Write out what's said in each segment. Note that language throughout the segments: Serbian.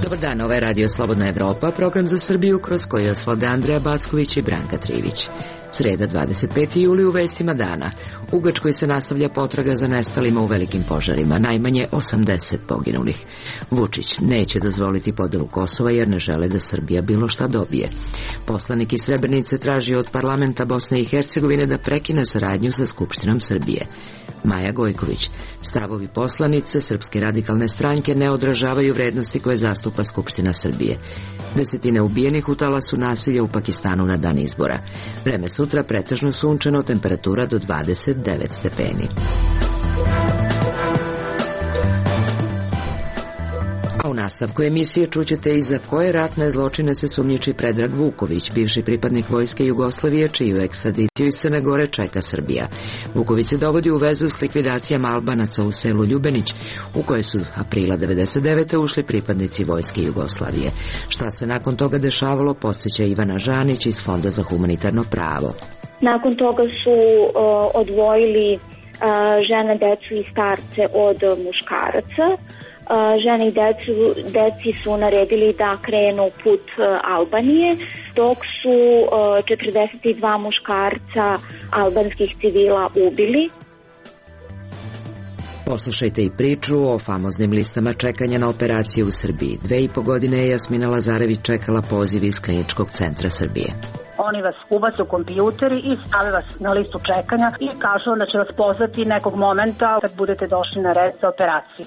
Dobar dan, ovo je Radio Slobodna Evropa, program za Srbiju kroz koji osvode Andreja Backović i Branka Trivić. Sreda 25. juli u vestima dana. U Grčkoj se nastavlja potraga za nestalima u velikim požarima, najmanje 80 poginulih. Vučić neće dozvoliti podelu Kosova jer ne žele da Srbija bilo šta dobije. Poslanik iz Srebrenice traži od parlamenta Bosne i Hercegovine da prekine saradnju sa Skupštinom Srbije. Maja Gojković. Stavovi poslanice Srpske radikalne stranke ne odražavaju vrednosti koje zastupa Skupština Srbije. Desetine ubijenih u talasu nasilja u Pakistanu na dan izbora. Vreme sutra pretežno sunčano, temperatura do 29 stepeni. A u nastavku emisije čućete i za koje ratne zločine se sumnjiči Predrag Vuković, bivši pripadnik Vojske Jugoslavije, čiju ekstradiciju iz Crne Gore čeka Srbija. Vuković se dovodi u vezu s likvidacijama Albanaca u selu Ljubenić, u koje su aprila 1999. ušli pripadnici Vojske Jugoslavije. Šta se nakon toga dešavalo, podsjeća Ivana Žanić iz Fonda za humanitarno pravo. Nakon toga su odvojili žene, decu i starce od muškaraca. Žene i deci su naredili da krenu put Albanije, dok su 42 muškarca albanskih civila ubili. Poslušajte i priču o famoznim listama čekanja na operaciju u Srbiji. 2,5 godine je Jasmina Lazarević čekala poziv iz Kliničkog centra Srbije. Oni vas ubace u kompjuteri i stave vas na listu čekanja i kažu da će vas pozvati nekog momenta kad budete došli na red za operaciju.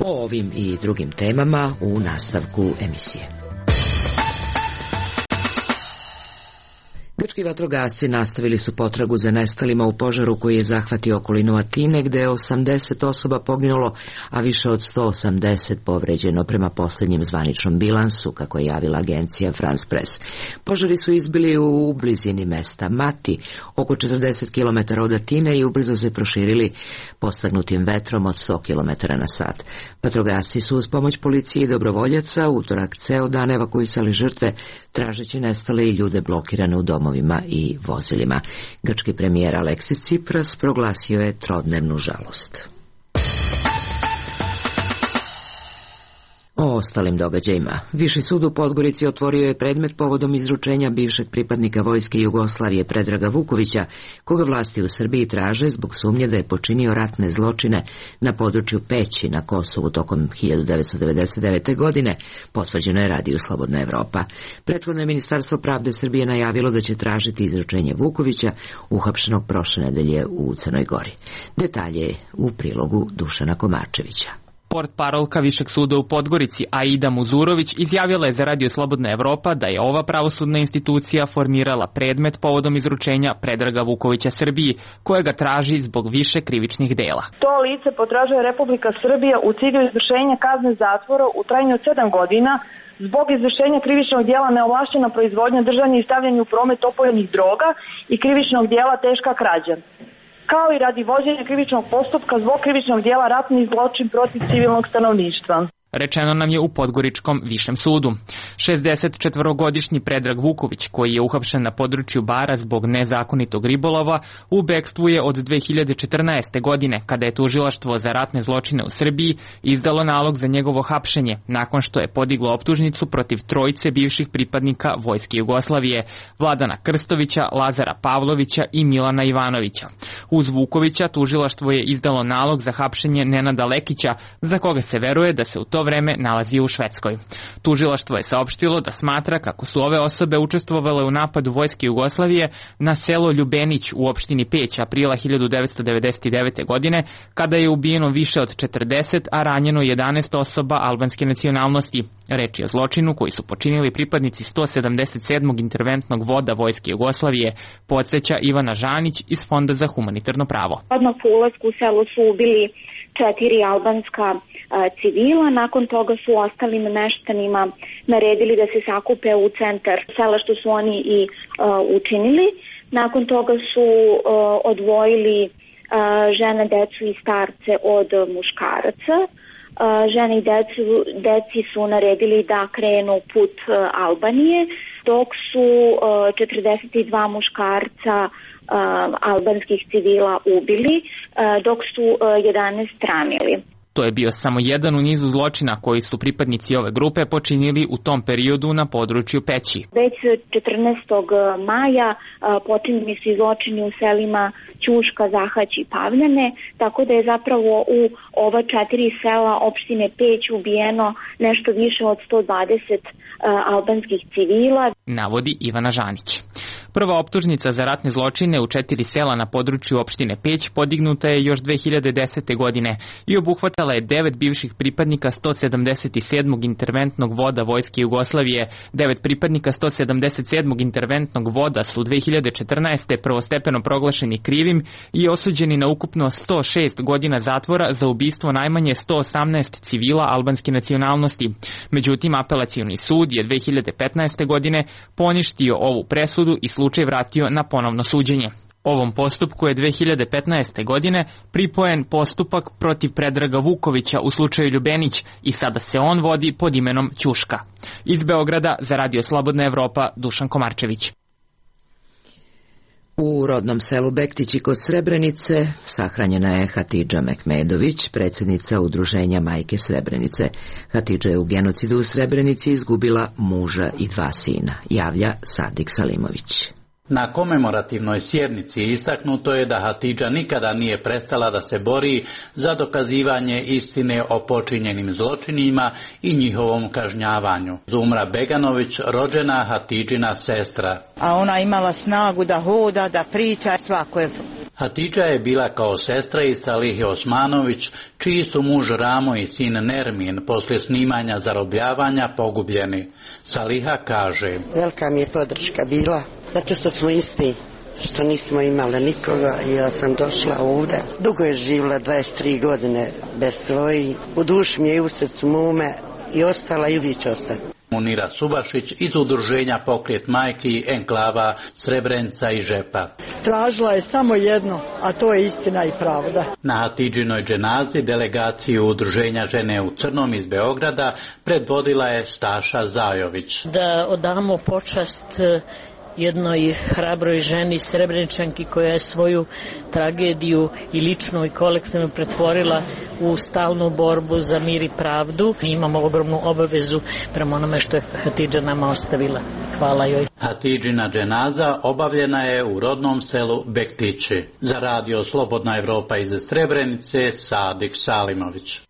O ovim i drugim temama u nastavku emisije. Grčki vatrogasci nastavili su potragu za nestalima u požaru koji je zahvatio okolinu Atine, gde je 80 osoba poginulo, a više od 180 povređeno prema posljednjem zvaničnom bilansu, kako je javila agencija France Press. Požari su izbili u blizini mesta Mati, oko 40 km od Atine, i ubrzo se proširili postaknutim vetrom od 100 km na sat. Vatrogasci su uz pomoć policije i dobrovoljaca utorak ceo dan evakuisali žrtve, tražeći nestale i ljude blokirane u domovima i vozilima. Grčki premijer Aleksis Tsipras proglasio je trodnevnu žalost. O ostalim događajima. Viši sud u Podgorici otvorio je predmet povodom izručenja bivšeg pripadnika Vojske Jugoslavije Predraga Vukovića, koga vlasti u Srbiji traže zbog sumnje da je počinio ratne zločine na području Peći na Kosovu tokom 1999. godine, potvrđeno je Radio Slobodna Evropa. Prethodno je Ministarstvo pravde Srbije najavilo da će tražiti izručenje Vukovića, uhapšenog prošle nedelje u Crnoj Gori. Detalje u prilogu Dušana Komarčevića. Portparolka Višeg suda u Podgorici Aida Muzurović izjavila je za Radio Slobodna Evropa da je ova pravosudna institucija formirala predmet povodom izručenja Predraga Vukovića Srbiji, kojega traži zbog više krivičnih dela. To lice potražuje Republika Srbija u cilju izvršenja kazne zatvora u trajanju od 7 godina zbog izvršenja krivičnog djela neovlašćena proizvodnja, držanje i stavljanje u promet opojnih droga i krivičnog djela teška krađa, kao i radi vođenja krivičnog postupka zbog krivičnog djela ratni zločin protiv civilnog stanovništva. Rečeno nam je u Podgoričkom višem sudu. 64-godišnji Predrag Vuković, koji je uhapšen na području Bara zbog nezakonitog ribolova, u bekstvu je od 2014. godine, kada je tužilaštvo za ratne zločine u Srbiji izdalo nalog za njegovo hapšenje, nakon što je podiglo optužnicu protiv trojice bivših pripadnika Vojske Jugoslavije, Vladana Krstovića, Lazara Pavlovića i Milana Ivanovića. Uz Vukovića tužilaštvo je izdalo nalog za hapšenje Nenada Lekića, za koga se veruje da se u to vreme nalazi u Švedskoj. Tužilaštvo je saopštilo da smatra kako su ove osobe učestvovale u napadu Vojske Jugoslavije na selo Ljubenić u opštini Peć aprila 1999. godine, kada je ubijeno više od 40, a ranjeno 11 osoba albanske nacionalnosti. Reč je o zločinu koji su počinili pripadnici 177. interventnog voda Vojske Jugoslavije, podsjeća Ivana Žanić iz Fonda za humanitarno pravo. Odmah po ulasku u selo su ubili 4 albanska civila, nakon toga su ostalim meštanima naredili da se sakupe u centar sela, što su oni i učinili. Nakon toga su odvojili žene, decu i starce od muškaraca. Žene i deci su naredili da krenu put Albanije, dok su 42 muškarca albanskih civila ubili, dok su 11 ranili. To je bio samo jedan u nizu zločina koji su pripadnici ove grupe počinili u tom periodu na području Peći. Već 14. maja počinjeni su zločini u selima Ćuška, Zahać i Pavljane, tako da je zapravo u ova 4 sela opštine Peć ubijeno nešto više od 120 albanskih civila, navodi Ivana Žanić. Prva optužnica za ratne zločine u 4 sela na području opštine Peć podignuta je još 2010. godine i obuhvatala je 9 bivših pripadnika 177. interventnog voda Vojske Jugoslavije. 9 pripadnika 177. interventnog voda su 2014. prvostepeno proglašeni krivim i osuđeni na ukupno 106 godina zatvora za ubistvo najmanje 118 civila albanske nacionalnosti. Međutim, apelacioni sud je 2015. godine poništio ovu presudu i slučaj vratio na ponovno suđenje. Ovom postupku je 2015. godine pripojen postupak protiv Predraga Vukovića u slučaju Ljubenić i sada se on vodi pod imenom Ćuška. Iz Beograda za Radio Slobodna Evropa, Dušan Komarčević. U rodnom selu Bektići kod Srebrenice sahranjena je Hatidža Mehmedović, predsjednica Udruženja Majke Srebrenice. Hatidža je u genocidu u Srebrenici izgubila muža i 2 sina, javlja Sadik Salimović. Na komemorativnoj sjednici istaknuto je da Hatidža nikada nije prestala da se bori za dokazivanje istine o počinjenim zločinima i njihovom kažnjavanju. Zumra Beganović, rođena Hatidžina sestra. A ona imala snagu da hoda, da priča svakoj. Hatidža je bila kao sestra i Salihi Osmanović, čiji su muž Ramo i sin Nermin poslije snimanja zarobljavanja pogubljeni. Saliha kaže: velika mi je podrška bila, zato što smo isti, što nismo imali nikoga i ja sam došla ovdje. Dugo je živjela, 23 godine bez svojih, u duši mi je i u srcu mome i ostala i uvijek će ostati. Munira Subašić iz udruženja Pokret majki enklava Srebrenica i Žepa. Tražila je samo jedno, a to je istina i pravda. Na Hatidžinoj dženazi delegaciju udruženja Žene u crnom iz Beograda predvodila je Staša Zajović. Da odamo počast jednoj hrabroj ženi Srebreničanki koja je svoju tragediju i ličnu i kolektivnu pretvorila u stalnu borbu za mir i pravdu. Imamo ogromnu obavezu prema onome što je Hatidža nama ostavila. Hvala joj. Hatidžina dženaza obavljena je u rodnom selu Bektići. Za Radio Slobodna Evropa iz Srebrenice, Sadik Salimović.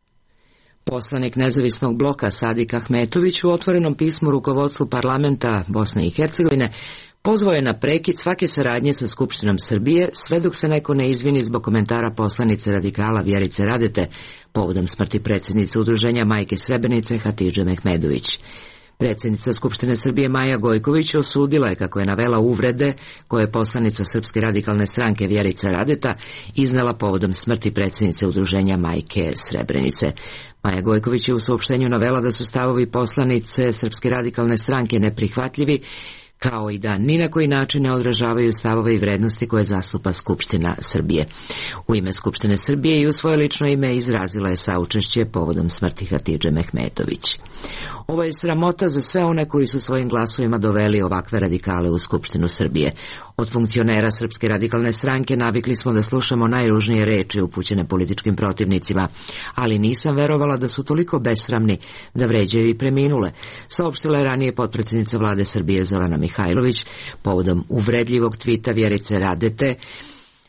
Poslanik nezavisnog bloka Sadik Ahmetović u otvorenom pismu rukovodstvu parlamenta Bosne i Hercegovine pozvao je na prekid svake saradnje sa Skupštinom Srbije sve dok se neko ne izvini zbog komentara poslanice radikala Vjerice Radete povodom smrti predsjednice Udruženja Majke Srebrenice Hatidže Mehmedović. Predsjednica Skupštine Srbije Maja Gojković osudila je, kako je navela, uvrede koje je poslanica Srpske radikalne stranke Vjerica Radeta iznela povodom smrti predsjednice Udruženja Majke Srebrenice. Maja Gojković je u saopštenju navela da su stavovi poslanice Srpske radikalne stranke neprihvatljivi, kao i da ni na koji način ne odražavaju stavove i vrednosti koje zastupa Skupština Srbije. U ime Skupštine Srbije i u svoje lično ime izrazila je saučešće povodom smrti Hatidže Mehmetović. Ovo je sramota za sve one koji su svojim glasovima doveli ovakve radikale u Skupštinu Srbije. Od funkcionera Srpske radikalne stranke navikli smo da slušamo najružnije reči upućene političkim protivnicima, ali nisam verovala da su toliko besramni da vređaju i preminule, saopštila je ranije potpredsjednica vlade Srbije Zorana Mihajlović povodom uvredljivog tvita Vjerice Radete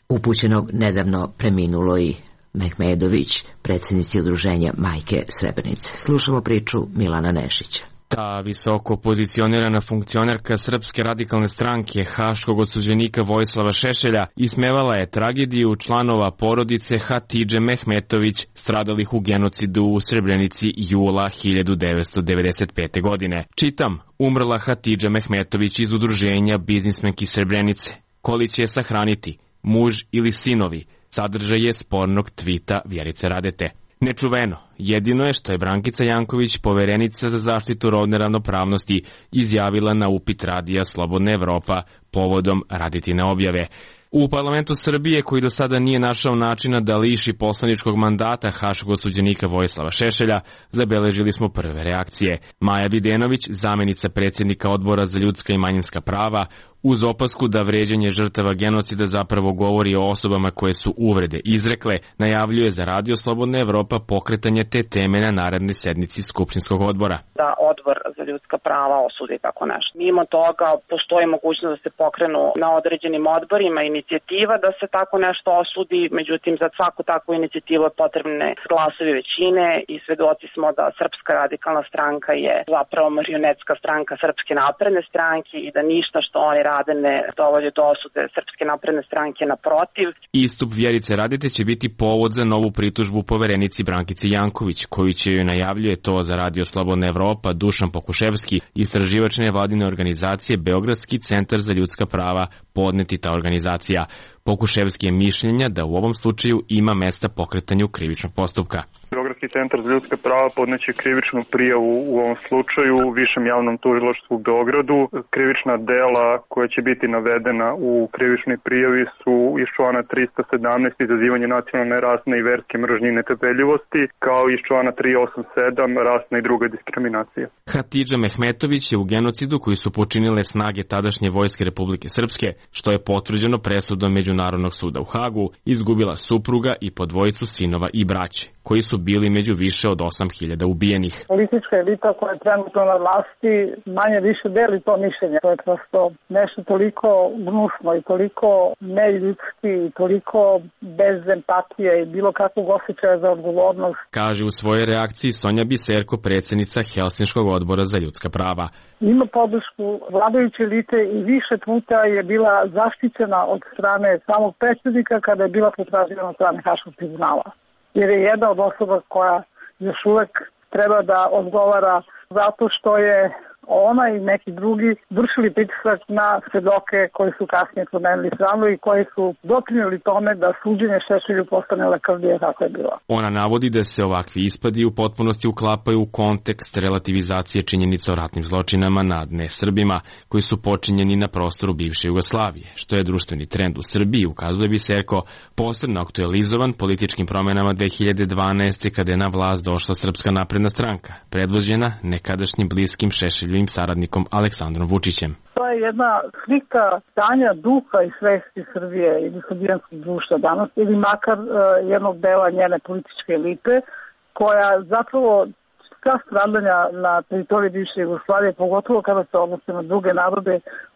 upućenog nedavno preminuloj Mehmedović, predsjednici Udruženja Majke Srebrenice. Slušamo priču Milana Nešića. Ta visoko pozicionirana funkcionerka Srpske radikalne stranke haškog osuđenika Vojislava Šešelja ismevala je tragediju članova porodice Hatidže Mehmetović stradalih u genocidu u Srebrenici jula 1995. godine. Čitam: umrla Hatidža Mehmetović iz Udruženja biznismenki Srebrenice. Koli će je sahraniti, muž ili sinovi? Sadržaj je spornog tvita Vjerice Radete. Nečuveno, jedino je što je Brankica Janković, poverenica za zaštitu rodne ravnopravnosti, izjavila na upit Radija Slobodna Evropa povodom Radetine objave. U parlamentu Srbije, koji do sada nije našao načina da liši poslaničkog mandata haškog osuđenika Vojislava Šešelja, zabeležili smo prve reakcije. Maja Videnović, zamjenica predsjednika Odbora za ljudska i manjinska prava, uz opasku da vređanje žrtava genocida zapravo govori o osobama koje su uvrede izrekle, najavljuje za Radio Slobodna Evropa pokretanje te teme na narednoj sednici Skupštinskog odbora. Da odbor za ljudska prava osudi tako nešto. Mimo toga postoji mogućnost da se pokrenu na određenim odborima inicijativa da se tako nešto osudi, međutim za svaku takvu inicijativu je potrebne glasovi većine i svedoci smo da Srpska radikalna stranka je zapravo marionetska stranka Srpske napredne stranke i da ništa što oni rade ne dovodi do osude Srpske napredne stranke, naprotiv. Istup Vjerice Radete će biti povod za novu pritužbu poverenici Brankici Janković, koju će joj najavljuje to za Radio Slobodna Evropa Dušan Pokuševski, istraživač nevladine organizacije Beogradski centar za ljudska prava, podneti ta organizacija. Pokuševski je mišljenja da u ovom slučaju ima mesta pokretanju krivičnog postupka. Beogradski centar za ljudska prava podneće krivičnu prijavu u ovom slučaju u Višem javnom tužilaštvu u Beogradu. Krivična dela koja će biti navedena u krivičnoj prijavi su iz člana 317 izazivanje nacionalne, rasne i verske mržnje i netrpeljivosti, kao i iz člana 387 rasna i druga diskriminacija. Hatidža Mehmetović je u genocidu koji su počinile snage tadašnje vojske Republike Srpske, što je potvrđeno presudom Međunarodnog suda u Hagu, izgubila supruga i po dvojicu sinova i braće, koji su bili među više od 8.000 ubijenih. Politička elita koja je trenutno na vlasti manje više deli to mišljenje. To je prosto nešto toliko gnusno i toliko neljudski i toliko bez empatije i bilo kakvog osjećaja za odgovornost. Kaže u svojoj reakciji Sonja Biserko, predsjednica Helsinškog odbora za ljudska prava. Ima podršku vladajuće elite i više puta je bila zaštićena od strane samog predsjednika kada je bila potraživana od strane Haškog tribunala. Jer je jedna od osoba koja još uvek treba da odgovara zato što je ona i neki drugi vršili pritisak na svedoke koji su kasnije promenili stranu i koji su doprinijeli tome da suđenje Šešelju postane lakrdije kako je bilo. Ona navodi da se ovakvi ispadi u potpunosti uklapaju u kontekst relativizacije činjenica o ratnim zločinama nad nesrbima koji su počinjeni na prostoru bivše Jugoslavije, što je društveni trend u Srbiji, ukazuje Biserko, posebno aktualizovan političkim promenama 2012. kada je na vlast došla Srpska napredna stranka, predvođena nekadašnjim bliskim Šešelju saradnikom Aleksandrom Vučićem. To je jedna slika stanja duha i svesti Srbije ili srbijanskog društva danas, ili makar jednog dela njene političke elite, koja zapravo sva stradanja na teritoriji bivše Jugoslavije, pogotovo kada se odnose na druge narode,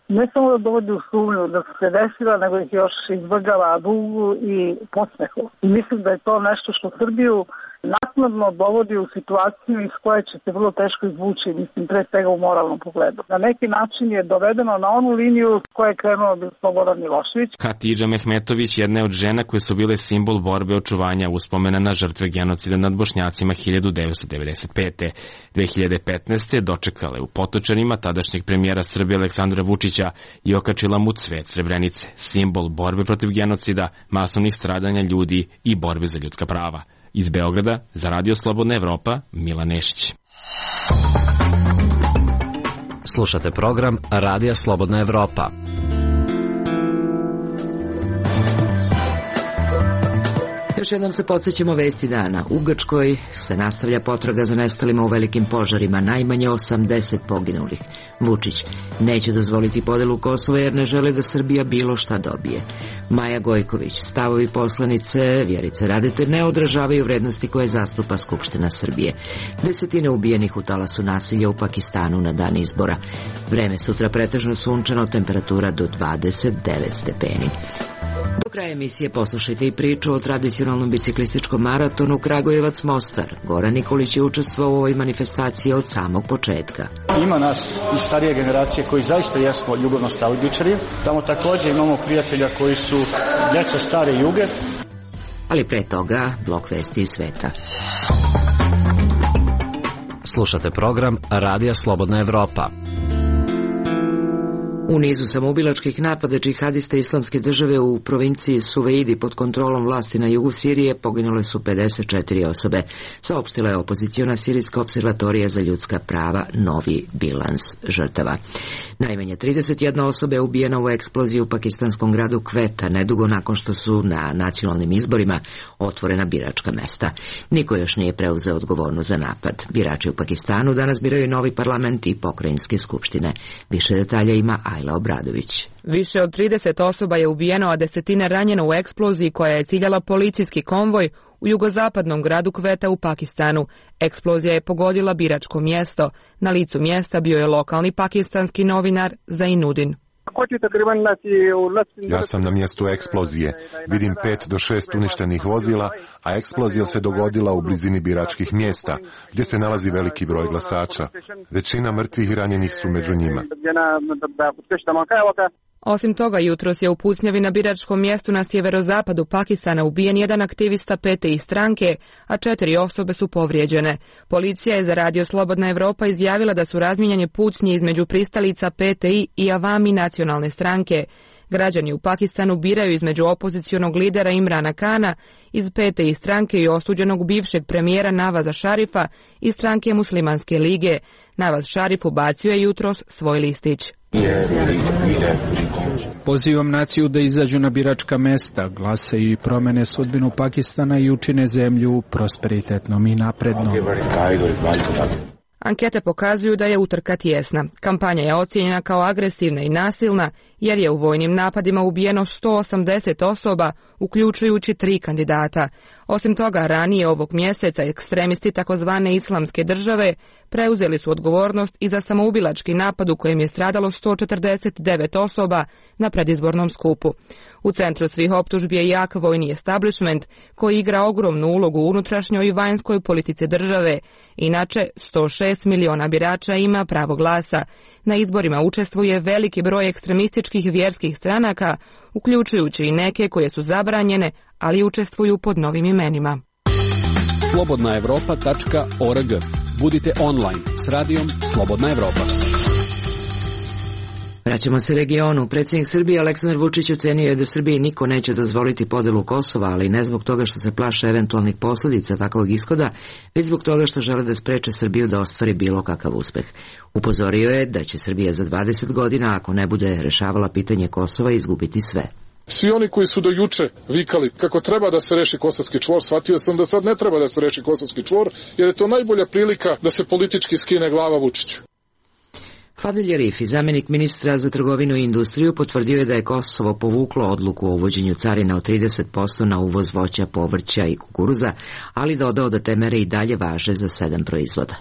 ne samo da dovodi u sumnju da su se desila, nego ih još izvrgava dugu i podsmehu. I mislim da je to nešto što Srbiju naknadno dovodi u situaciju iz koje će se vrlo teško izvući, mislim, pre svega u moralnom pogledu. Na neki način je dovedeno na onu liniju koja je krenuo bi Slobodan Milošević. Hatidža Mehmetović jedna je od žena koje su bile simbol borbe očuvanja uspomena na žrtve genocida nad Bošnjacima 1995. 2015. dočekala je u Potočarima tadašnjeg premijera Srbije Aleksandra Vučića i okačila mu cvet Srebrenice, simbol borbe protiv genocida, masovnih stradanja ljudi i borbe za ljudska prava. Iz Beograda, za Radio Slobodna Evropa, Milan Nešić. Slušate program Radija Slobodna Evropa. Još jednom se podsjećamo vesti dana. U Grčkoj se nastavlja potraga za nestalima u velikim požarima, najmanje 80 poginulih. Vučić neće dozvoliti podelu Kosova jer ne žele da Srbija bilo šta dobije. Maja Gojković, stavovi poslanice Vjerice Radete ne odražavaju vrednosti koje zastupa Skupština Srbije. Desetine ubijenih u talasu nasilja u Pakistanu na dan izbora. Vreme sutra pretežno sunčano, temperatura do 29 stepeni. Do kraja emisije poslušajte i priču o tradicionalnom biciklističkom maratonu Kragujevac-Mostar. Goran Nikolić je učestvovao u ovoj manifestaciji od samog početka. Ima nas iz starije generacije koji zaista jesmo ljubavno-staudičari. Tamo također imamo prijatelja koji su djeca stare Juge. Ali pre toga, blok vesti iz sveta. Slušate program Radija Slobodna Evropa. U nizu samoubilačkih napada džihadista Islamske države u provinciji Suveidi pod kontrolom vlasti na jugu Sirije poginule su 54 osobe, saopštila je opoziciona Sirijska observatorija za ljudska prava novi bilans žrtava. Najmanje 31 osoba je ubijena u eksploziji u pakistanskom gradu Kveta, nedugo nakon što su na nacionalnim izborima otvorena biračka mesta. Niko još nije preuzeo odgovornost za napad. Birači u Pakistanu danas biraju novi parlament i pokrajinske skupštine. Više detalja ima Majla Obradović. Više od 30 osoba je ubijeno, a desetine ranjeno u eksploziji koja je ciljala policijski konvoj u jugozapadnom gradu Kveta u Pakistanu. Eksplozija je pogodila biračko mjesto. Na licu mjesta bio je lokalni pakistanski novinar Zainuddin. Ja sam na mjestu eksplozije. Vidim 5 do 6 uništenih vozila, a eksplozija se dogodila u blizini biračkih mjesta, gdje se nalazi veliki broj glasača. Većina mrtvih i ranjenih su među njima. Osim toga, jutros je u pucnjavi na biračkom mjestu na sjeverozapadu Pakistana ubijen jedan aktivista PTI stranke, a 4 osobe su povrijeđene. Policija je za Radio Slobodna Evropa izjavila da su razmijenjene pucnje između pristalica PTI i Avami nacionalne stranke. Građani u Pakistanu biraju između opozicionog lidera Imrana Kana iz PTI stranke i osuđenog bivšeg premijera Navaza Šarifa iz stranke Muslimanske lige. Navaz Šarif ubacio je jutros svoj listić. Pozivam naciju da izađu na biračka mesta, glasaju i promene sudbinu Pakistana i učine zemlju prosperitetnom i naprednom. Ankete pokazuju da je utrka tijesna. Kampanja je ocijenjena kao agresivna i nasilna jer je u vojnim napadima ubijeno 180 osoba, uključujući 3 kandidata. Osim toga, ranije ovog mjeseca ekstremisti takozvane Islamske države preuzeli su odgovornost i za samoubilački napad u kojem je stradalo 149 osoba na predizbornom skupu. U centru svih optužbi je jak vojni establishment koji igra ogromnu ulogu u unutrašnjoj i vanjskoj politici države. Inače, 106 miliona birača ima pravo glasa. Na izborima učestvuje veliki broj ekstremističkih vjerskih stranaka, uključujući i neke koje su zabranjene, ali učestvuju pod novim imenima. slobodnaevropa.org. Budite online s radijom Slobodna Evropa. Vraćamo se regionu. Predsjednik Srbije Aleksandar Vučić ocenio je da Srbiji niko neće dozvoliti podelu Kosova, ali ne zbog toga što se plaše eventualnih posljedica takvog ishoda, već zbog toga što žele da spreče Srbiju da ostvari bilo kakav uspeh. Upozorio je da će Srbija za 20 godina, ako ne bude rešavala pitanje Kosova, izgubiti sve. Svi oni koji su do juče vikali kako treba da se reši kosovski čvor, shvatio sam da sad ne treba da se reši kosovski čvor, jer je to najbolja prilika da se politički skine glava Vučiću. Fadil Arifi, zamjenik ministra za trgovinu i industriju, potvrdio je da je Kosovo povuklo odluku o uvođenju carina od 30% na uvoz voća, povrća i kukuruza, ali dodao da te mere i dalje važe za 7 proizvoda.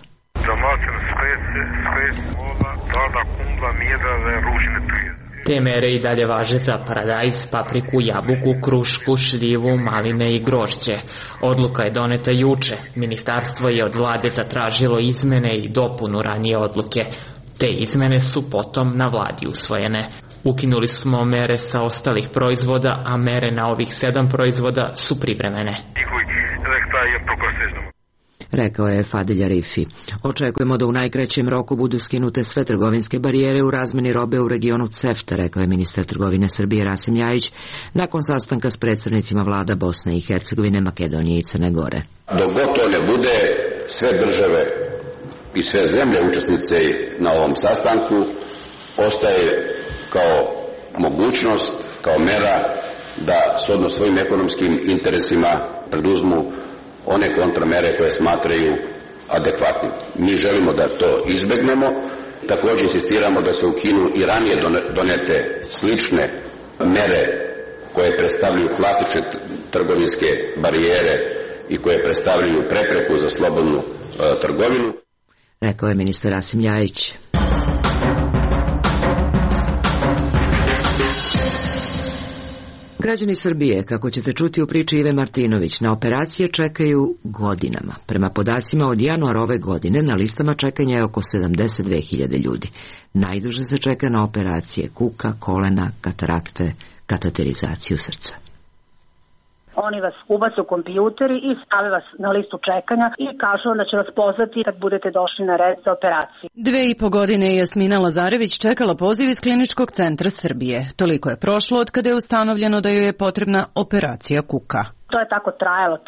Te mere i dalje važe za paradajz, papriku, jabuku, krušku, šljivu, maline i grožđe. Odluka je doneta juče. Ministarstvo je od vlade zatražilo izmene i dopunu ranije odluke. Te izmene su potom na vladi usvojene. Ukinuli smo mere sa ostalih proizvoda, a mere na ovih 7 proizvoda su privremene. Rekao je Fadil Arifi. Očekujemo da u najkraćem roku budu skinute sve trgovinske barijere u razmeni robe u regionu CEFTA, rekao je ministar trgovine Srbije Rasim Ljajić nakon sastanka s predstavnicima vlada Bosne i Hercegovine, Makedonije i Crne Gore. Dok god to ne bude, sve države i sve zemlje učesnice na ovom sastanku ostaje kao mogućnost, kao mera da shodno svojim ekonomskim interesima preduzmu one kontramere koje smatraju adekvatnim. Mi želimo da to izbegnemo, također insistiramo da se ukinu i ranije donete slične mere koje predstavljaju klasične trgovinske barijere i koje predstavljaju prepreku za slobodnu trgovinu. Rekao je ministar Rasim Ljajić. Građani Srbije, kako ćete čuti u priči Ive Martinović, na operacije čekaju godinama. Prema podacima od januara ove godine na listama čekanja je oko 72.000 ljudi. Najduže se čeka na operacije kuka, kolena, katarakte, kateterizaciju srca. Oni vas ubace u kompjuteri i stave vas na listu čekanja i kažu da će vas pozvati kad budete došli na red za operaciju. 2,5 godine je Jasmina Lazarević čekala poziv iz Kliničkog centra Srbije. Toliko je prošlo od kada je ustanovljeno da joj je potrebna operacija kuka. To je tako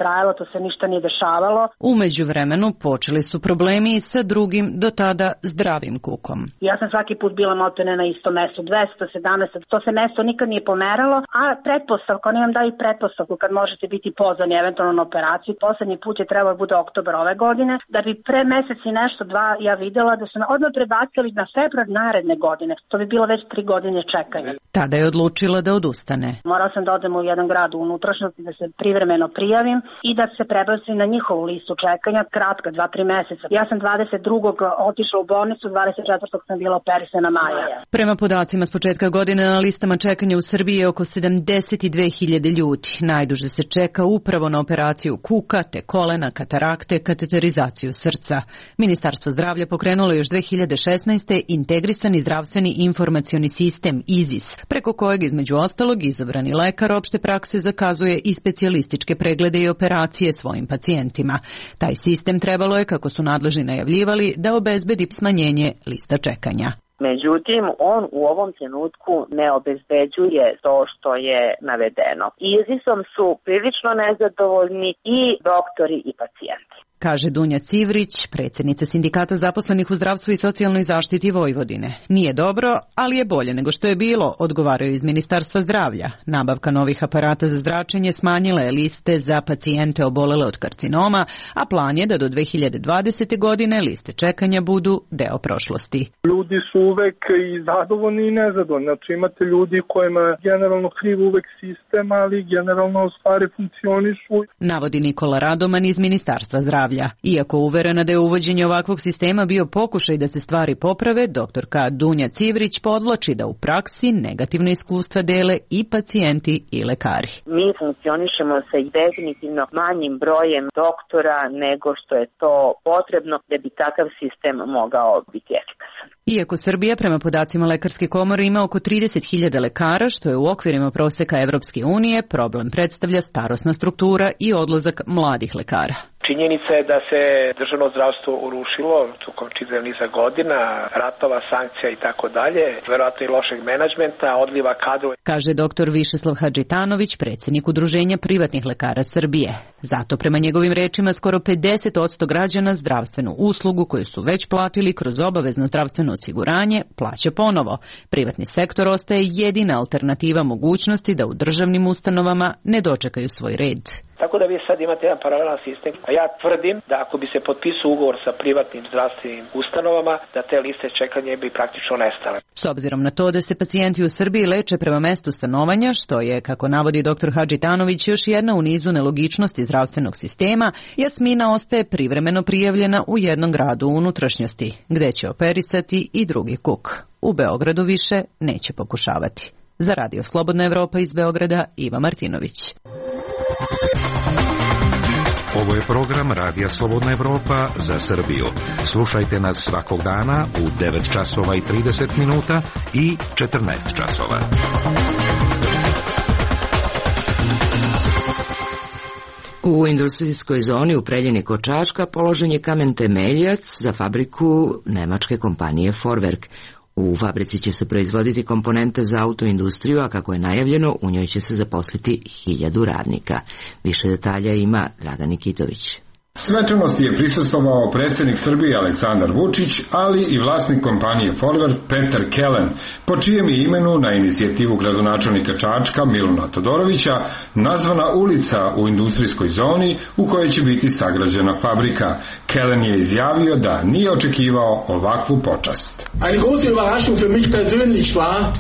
trajalo, to se ništa nije dešavalo. U međuvremenu počeli su problemi i sa drugim, do tada zdravim kukom. Ja sam svaki put bila maltene na istom mestu, 217, to se mesto nikad nije pomeralo, a pretpostavka, oni vam daju pretpostavku kad možete biti pozvani eventualno na operaciju. Poslednji put je trebalo bude oktobar ove godine, da bi pre mesec i nešto, dva, ja videla da su odmah prebacili na februar naredne godine. To bi bilo već 3 godine čekanja. Tada je odlučila da odustane. Morala sam da odem u jedan grad u unutrašnjosti, da se privremeno prijavim i da se prebacim na njihovu listu čekanja, kratka, 2-3 meseca. Ja sam 22. otišla u bolnicu, 24. sam bila operisana maja. Prema podacima s početka godine na listama čekanja u Srbiji je oko 72.000 ljudi. Najduže se čeka upravo na operaciju kuka, te kolena, katarakte, kateterizaciju srca. Ministarstvo zdravlja pokrenulo još 2016. integrisani zdravstveni informacioni sistem IZIS, preko kojeg između ostalog izabrani lekar opšte prakse zakazuje i specijalističke preglede i operacije svojim pacijentima. Taj sistem trebalo je, kako su nadležni najavljivali, da obezbedi smanjenje lista čekanja. Međutim, on u ovom trenutku ne obezbeđuje to što je navedeno. IZIS-om su prilično nezadovoljni i doktori i pacijenti. Kaže Dunja Civrić, predsjednica Sindikata zaposlenih u zdravstvu i socijalnoj zaštiti Vojvodine. Nije dobro, ali je bolje nego što je bilo, odgovaraju iz Ministarstva zdravlja. Nabavka novih aparata za zračenje smanjila je liste za pacijente obolele od karcinoma, a plan je da do 2020. godine liste čekanja budu deo prošlosti. Ljudi su uvek i zadovoljni i nezadovoljni. Znači imate ljudi kojima je generalno kriv uvek sistem, ali generalno stvari funkcionišu. Navodi Nikola Radoman iz Ministarstva zdravlja. Iako uverena da je uvođenje ovakvog sistema bio pokušaj da se stvari poprave, doktorka Dunja Civrić podvlači da u praksi negativne iskustva dele i pacijenti i lekari. Mi funkcionišemo sa definitivno manjim brojem doktora nego što je to potrebno da bi takav sistem mogao biti efikasan. Iako Srbija prema podacima Lekarske komore ima oko 30.000 lekara, što je u okvirima proseka Evropske unije, problem predstavlja starosna struktura i odlazak mladih lekara. Činjenica je da se državno zdravstvo urušilo tokom čitavog niza godina, ratova, sankcija i tako dalje, verovatno i lošeg menadžmenta, odliva kadrova. Kaže dr. Višeslav Hadžitanović, predsjednik Udruženja privatnih lekara Srbije. Zato prema njegovim rečima skoro 50% građana zdravstvenu uslugu koju su već platili kroz obavezno zdravstveno osiguranje plaća ponovo. Privatni sektor ostaje jedina alternativa mogućnosti da u državnim ustanovama ne dočekaju svoj red. Tako da vi sad imate jedan paralelan sistem, a ja tvrdim da ako bi se potpisao ugovor sa privatnim zdravstvenim ustanovama, da te liste čekanja bi praktično nestale. S obzirom na to da se pacijenti u Srbiji leče prema mestu stanovanja, što je, kako navodi dr. Hadžitanović, još jedna u nizu nelogičnosti zdravstvenog sistema, Jasmina ostaje privremeno prijavljena u jednom gradu u unutrašnjosti, gde će operisati i drugi kuk. U Beogradu više neće pokušavati. Za Radio Slobodna Evropa iz Beograda, Iva Martinović. Ovo je program Radija Slobodna Evropa za Srbiju. Slušajte nas svakog dana u 9 časova i 30 minuta i 14 časova. U industrijskoj zoni u Preljini kod Čačka položen je kamen temeljac za fabriku nemačke kompanije Vorwerk. U fabrici će se proizvoditi komponente za autoindustriju, a kako je najavljeno, u njoj će se zaposliti 1000 radnika. Više detalja ima Dragan Nikitović. Svečanosti je prisustvovao predsjednik Srbije Aleksandar Vučić, ali i vlasnik kompanije Vorwerk Peter Kellen, po čijem je imenu na inicijativu gradonačelnika Čačka Miluna Todorovića nazvana ulica u industrijskoj zoni u kojoj će biti sagrađena fabrika. Kellen je izjavio da nije očekivao ovakvu počast. Eine große Überraschung für mich persönlich war,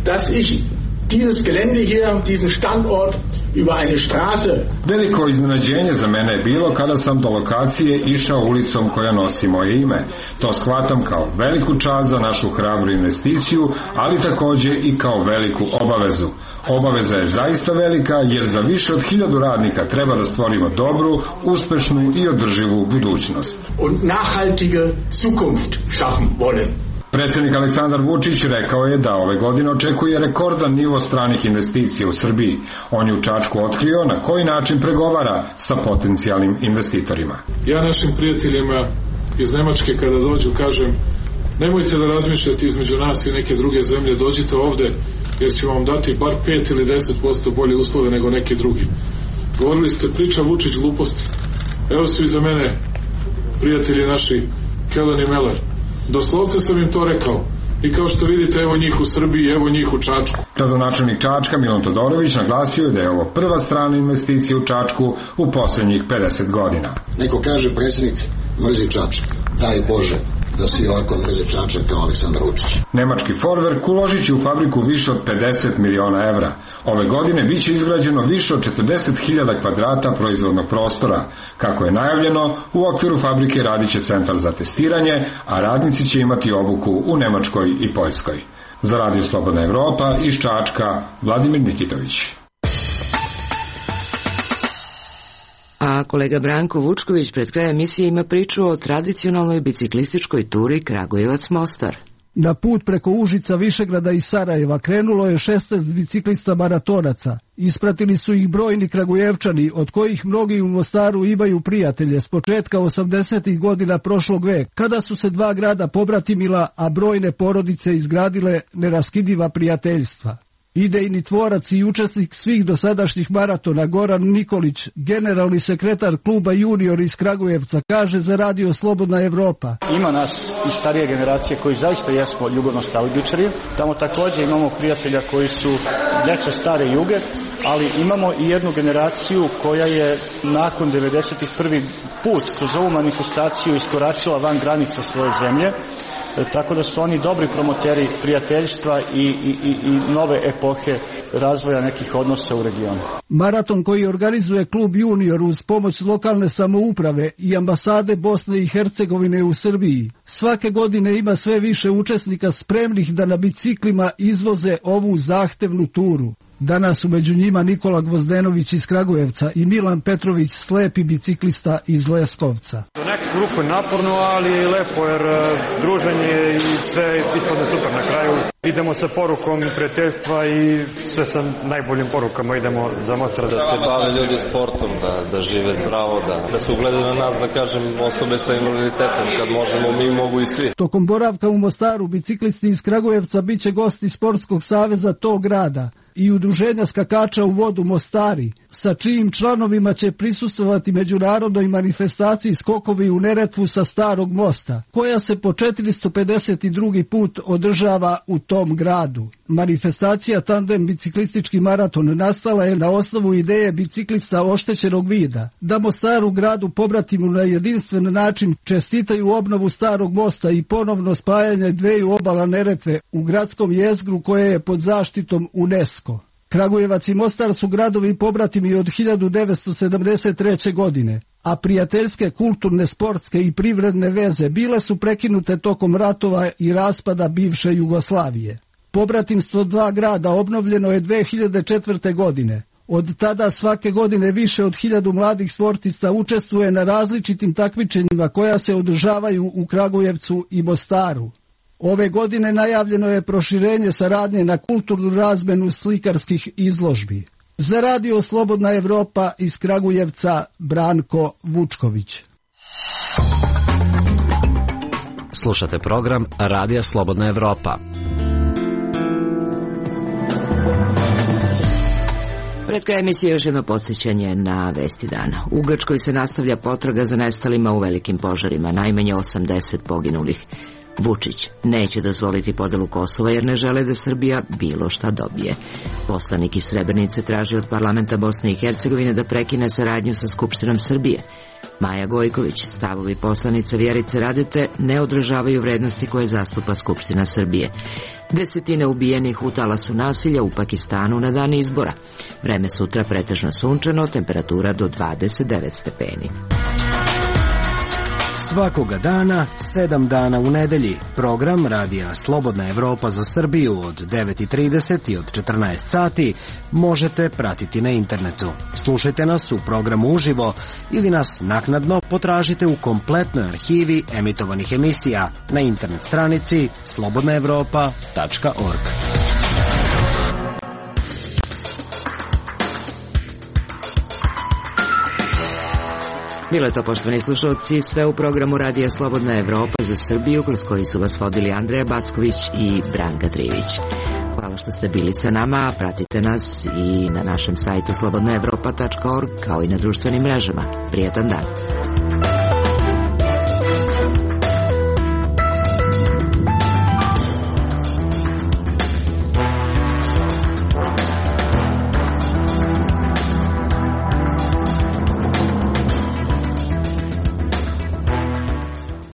dass ich dieses Gelände hier, diesen Standort über eine Straße. Veliko iznenađenje za mene je bilo kada sam do lokacije išao ulicom koja nosi moje ime. To shvatam kao veliku čast za našu hrabru investiciju, ali također i kao veliku obavezu. Obaveza je zaista velika jer za više od 1000 radnika treba da stvorimo dobru, uspešnu i održivu budućnost. Und nachhaltige Zukunft schaffen wollen. Predsjednik Aleksandar Vučić rekao je da ove godine očekuje rekordan nivo stranih investicija u Srbiji. On je u Čačku otkrio na koji način pregovara sa potencijalnim investitorima. Ja našim prijateljima iz Nemačke kada dođu kažem, nemojte da razmišljate između nas i neke druge zemlje, dođite ovde jer ćemo vam dati bar 5 ili 10% bolje uslove nego neki drugi. Govorili ste priča Vučić gluposti. Evo su iza mene prijatelji naši Kellen i Meller. Doslovce sam im to rekao. I kao što vidite, evo njih u Srbiji, evo njih u Čačku. Gradonačelnik Čačka Milan Todorović naglasio je da je ovo prva strana investicija u Čačku u poslednjih 50 godina. Neko kaže predsjednik mrzi Čačak. Daj Bože da svi ovako mrze Čačak kao Aleksandar Vučić. Nemački Vorwerk uložit će u fabriku više od 50 miliona evra. Ove godine biće izgrađeno više od 40.000 kvadrata proizvodnog prostora. Kako je najavljeno, u okviru fabrike radit će centar za testiranje, a radnici će imati obuku u Nemačkoj i Poljskoj. Za Radio Slobodna Evropa iz Čačka, Vladimir Nikitović. A kolega Branko Vučković pred kraj emisije ima priču o tradicionalnoj biciklističkoj turi Kragujevac-Mostar. Na put preko Užica, Višegrada i Sarajeva krenulo je 16 biciklista maratonaca. Ispratili su ih brojni Kragujevčani, od kojih mnogi u Mostaru imaju prijatelje s početka 80. godina prošlog veka, kada su se dva grada pobratimila, a brojne porodice izgradile neraskidiva prijateljstva. Idejni tvorac i učesnik svih dosadašnjih maratona Goran Nikolić, generalni sekretar kluba Junior iz Kragujevca, kaže za Radio Slobodna Evropa. Ima nas iz starije generacije koji zaista jesmo ljubavno-nostalgičari. Tamo također imamo prijatelja koji su deca stare Juge, ali imamo i jednu generaciju koja je nakon 91. put kroz ovu manifestaciju iskoračila van granica svoje zemlje. Tako da su oni dobri promoteri prijateljstva i nove epohe razvoja nekih odnosa u regionu. Maraton koji organizuje klub Junior uz pomoć lokalne samouprave i ambasade Bosne i Hercegovine u Srbiji svake godine ima sve više učesnika spremnih da na biciklima izvoze ovu zahtevnu turu. Danas su među njima Nikola Gvozdenović iz Kragujevca i Milan Petrović, slepi biciklista iz Leskovca. U neku grupu je naporno, ali je lepo jer druženje i sve ispadne super na kraju. Idemo sa porukom prijateljstva i sve sa najboljim porukama idemo za Mostar. Da se bave ljudi sportom, da žive zdravo, da se ugledaju na nas, da kažem, osobe sa invaliditetom, kad možemo mi, mogu i svi. Tokom boravka u Mostaru biciklisti iz Kragujevca biće gosti Sportskog saveza tog grada i udruženja skakača u vodu Mostari, sa čijim članovima će prisustvovati međunarodnoj manifestaciji skokovi u Neretvu sa Starog mosta, koja se po 452. put održava u tom gradu. Manifestacija Tandem biciklistički maraton nastala je na osnovu ideje biciklista oštećenog vida, da Mostaru gradu pobratimu na jedinstven način čestitaju obnovu Starog mosta i ponovno spajanje dveju obala Neretve u gradskom jezgru koje je pod zaštitom UNESCO. Kragujevac i Mostar su gradovi pobratimi od 1973. godine, a prijateljske, kulturne, sportske i privredne veze bile su prekinute tokom ratova i raspada bivše Jugoslavije. Pobratimstvo dva grada obnovljeno je 2004. godine. Od tada svake godine više od 1000 mladih sportista učestvuje na različitim takmičenjima koja se održavaju u Kragujevcu i Mostaru. Ove godine najavljeno je proširenje saradnje na kulturnu razmenu slikarskih izložbi. Za Radio Slobodna Evropa iz Kragujevca, Branko Vučković. Slušate program Radija Slobodna Evropa. Pred kraj emisije još jedno podsjećanje na vesti dana. U Grčkoj se nastavlja potraga za nestalima u velikim požarima, najmanje 80 poginulih. Vučić neće dozvoliti podelu Kosova jer ne žele da Srbija bilo šta dobije. Poslanik iz Srebrenice traži od parlamenta Bosne i Hercegovine da prekine saradnju sa Skupštinom Srbije. Maja Gojković, stavovi poslanice Vjerice Radete ne odražavaju vrednosti koje zastupa Skupština Srbije. Desetine ubijenih u talasu nasilja u Pakistanu na dan izbora. Vreme sutra pretežno sunčano, temperatura do 29 stepeni. Svakoga dana, 7 dana u nedelji. Program Radija Slobodna Evropa za Srbiju od 9:30 i od 14 sati možete pratiti na internetu. Slušajte nas u programu uživo ili nas naknadno potražite u kompletnoj arhivi emitovanih emisija na internet stranici slobodnaevropa.org. Bilo je to, poštovani slušalci, sve u programu Radija Slobodna Evropa za Srbiju, kroz koji su vas vodili Andreja Backović i Branka Trivić. Hvala što ste bili sa nama, pratite nas i na našem sajtu slobodnaevropa.org kao i na društvenim mrežama. Prijetan dan.